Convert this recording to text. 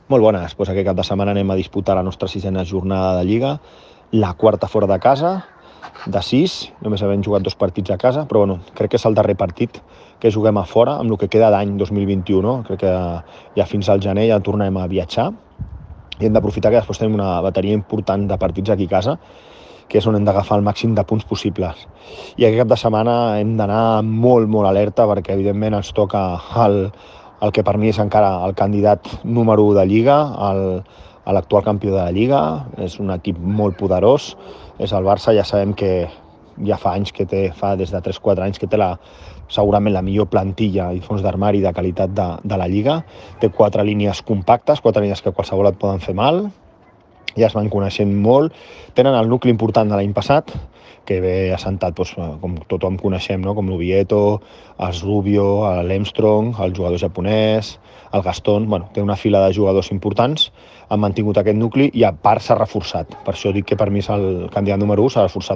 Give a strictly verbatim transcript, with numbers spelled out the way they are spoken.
Molt bones. Pues aquest cap de setmana anem a disputar la nostra sisena jornada de Lliga, la quarta fora de casa, de sis, només havent jugat dos partits a casa, però bueno, crec que és el darrer partit que juguem a fora, amb el que queda d'any dos mil vint-i-u, no? Crec que ja fins al gener ja tornem a viatjar i hem d'aprofitar que després tenim una bateria important de partits aquí a casa, que és on hem d'agafar el màxim de punts possibles. I aquest cap de setmana hem d'anar molt, molt alerta, perquè evidentment ens toca el, el que per mi és encara el candidat número u de Lliga, el, l'actual campió de la Lliga. És un equip molt poderós, és el Barça. Ja sabem que ja fa anys que té, fa des de tres quatre anys que té la, segurament la millor plantilla i fons d'armari de qualitat de, de la Lliga. Té quatre línies compactes, quatre línies que qualsevol et poden fer mal, ja es van coneixent molt, tenen el nucli important de l'any passat, que ve assentat, doncs, com tothom coneixem, no? Com l'Ovieto, el Rubio, l'Armstrong, el jugador japonès, el Gastón. Bueno, té una fila de jugadors importants, han mantingut aquest nucli i a part s'ha reforçat. Per això dic que per mi és el candidat número u, s'ha reforçat